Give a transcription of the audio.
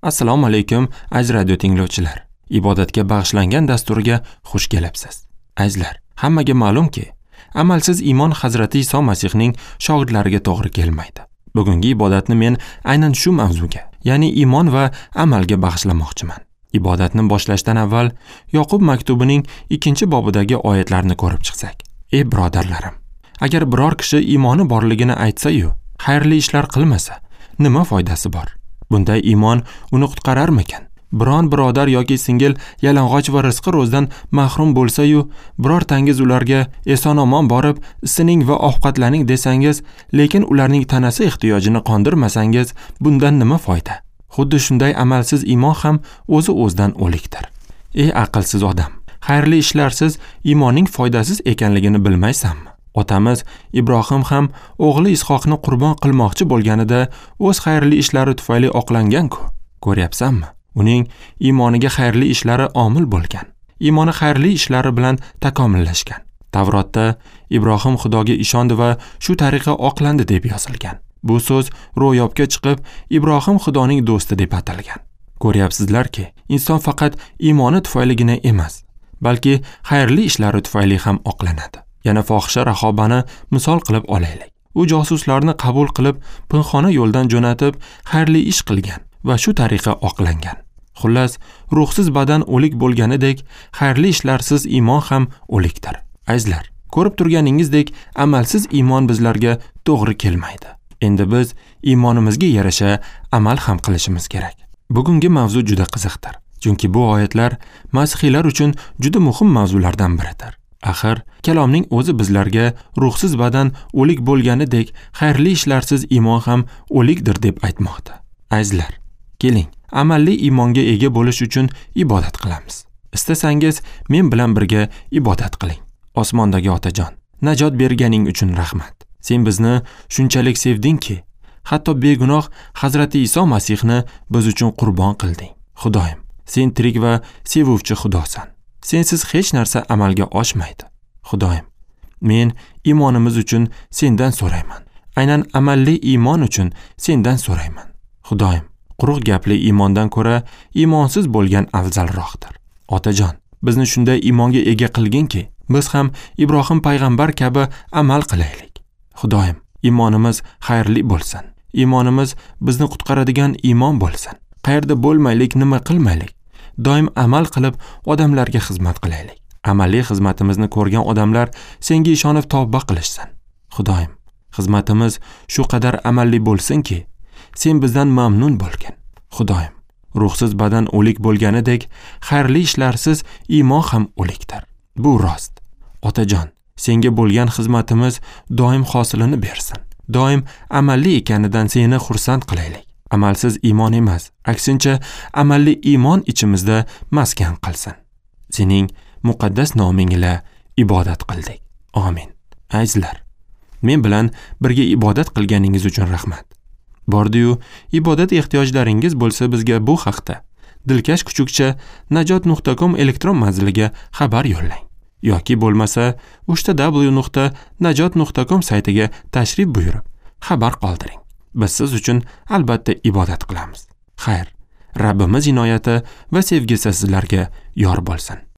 Assalomu alaykum, aziz radio tinglovchilar. Ibodatga bag'ishlangan dasturga xush kelibsiz. Azizlar, hammaga ma'lumki, amalsiz iymon Hazrati Iso Masihning shogirdlariga to'g'ri kelmaydi. Bugungi ibodatni men aynan shu mavzuga, ya'ni iymon va amalga bag'ishlamoqchiman. Ibodatni boshlashdan avval Yoqub maktubining 2-bobidagi oyatlarni ko'rib chiqsak. Ey birodarlarim, agar biror kishi iymoni borligini aytsa-yu, xayrli ishlar qilmasa, nima foydasi bor? Bunday iymon uni qutqararmikan? Biron birodar yoki singil yalang'och va rizqi ro'zdan mahrum bo'lsa-yu, birortangiz ularga eson-omon borib, isining va ovqatlaning desangiz, lekin ularning tanasi ehtiyojini qondirmasangiz, bundan nima foyda? Xuddi shunday amalsiz iymon ham o'zi o'zidan o'likdir. Ey aqlsiz odam, xayrli ishlarsiz iymonning foydasiz ekanligini bilmaysanmi? Otamiz Ibrohim ham o'g'li Ishoqni qurbon qilmoqchi bo'lganida o'z xayrli ishlari tufayli oqlangan-ku. Ko'ryapsanmi? Uning iymoniga xayrli ishlari omil bo'lgan. Iymoni xayrli ishlari bilan takomillashgan. Tavrotda Ibrohim Xudoga ishondi va shu tariqa oqlandi deb yozilgan. Bu so'z ro'yobga chiqib, Ibrohim Xudoning do'sti deb atalgan. Ko'ryapsizlarki, inson faqat iymoni tufayligina emas, balki xayrli ishlari tufayli ham oqlanadi. Yana fohisha Rahobani misol qilib olaylik. U josuslarni qabul qilib, pinxona yo'ldan jo'natib, xayrli ish qilgan va shu tariqa oqlangan. Xullas, ruhsiz badan o'lik bo'lganidek, xayrli ishlarsiz iymon ham o'likdir. Azizlar, ko'rib turganingizdek, amalsiz iymon bizlarga to'g'ri kelmaydi. Endi biz iymonimizga yarasha amal ham qilishimiz kerak. Bugungi mavzu juda qiziqdir, chunki bu oyatlar masihiylar uchun juda muhim mavzulardan biridir. Axir, kalomning o'zi bizlarga ruhsiz badan o'lik bo'lganidek, xayrli ishlarsiz iymon ham o'likdir deb aytmoqda. Azizlar, keling, amalli iymonga ega bo'lish uchun ibodat qilamiz. Istasangiz, men bilan birga ibodat qiling. Osmondagi Otajon, najot berganing uchun rahmat. Sen bizni shunchalik sevdingki, hatto begunoh Hazrati Iso Masihni biz uchun qurbon qilding. Xudoyim, sen tirik va sevuvchi Xudosan. Sensiz hech narsa amalga oshmaydi. Xudoyim, men iymonimiz uchun sendan so'rayman. Aynan amalli iymon uchun sendan so'rayman. Xudoyim, quruq gapli iymondan ko'ra iymonsiz bo'lgan afzalroqdir. Otajon, bizni shunday iymonga ega qilginki, biz ham Ibrohim payg'ambar kabi amal qilaylik. Xudoyim, iymonimiz xayrli bo'lsin. Iymonimiz bizni qutqaradigan iymon bo'lsin. Qayerda bo'lmaylik, nima qilmaylik, doim amal qilib odamlarga xizmat qilaylik. Amaliy xizmatimizni ko'rgan odamlar senga ishonib tavba qilishsin. Xudoyim, xizmatimiz shu qadar amalli bo'lsinki, sen bizdan mamnun bo'lgin. Xudoyim, ruhsiz badan o'lik bo'lganidek, xayrli ishlarsiz iymon ham o'likdir. Bu rost. Otajon, senga bo'lgan xizmatimiz doim hosilini bersin. Doim amalli ekanidan seni xursand qilaylik. Amalsiz iymon emas, aksincha amalli iymon ichimizda maskan qilsin. Sening muqaddas noming ila ibodat qildik. Amin. Azizlar, men bilan birga ibodat qilganingiz uchun rahmat. Bordi-yu, ibodat ehtiyojlaringiz bo'lsa bizga bu haqda dilkash kuchukcha najot.com elektron manziliga xabar yo'llang. Yoki bo'lmasa www.najot.com saytiga tashrif buyurib, xabar qoldiring. Biz siz uchun albatta ibodat qilamiz. Xayr, Rabbimiz inoyati va sevgisi sizlarga yor bo'lsin.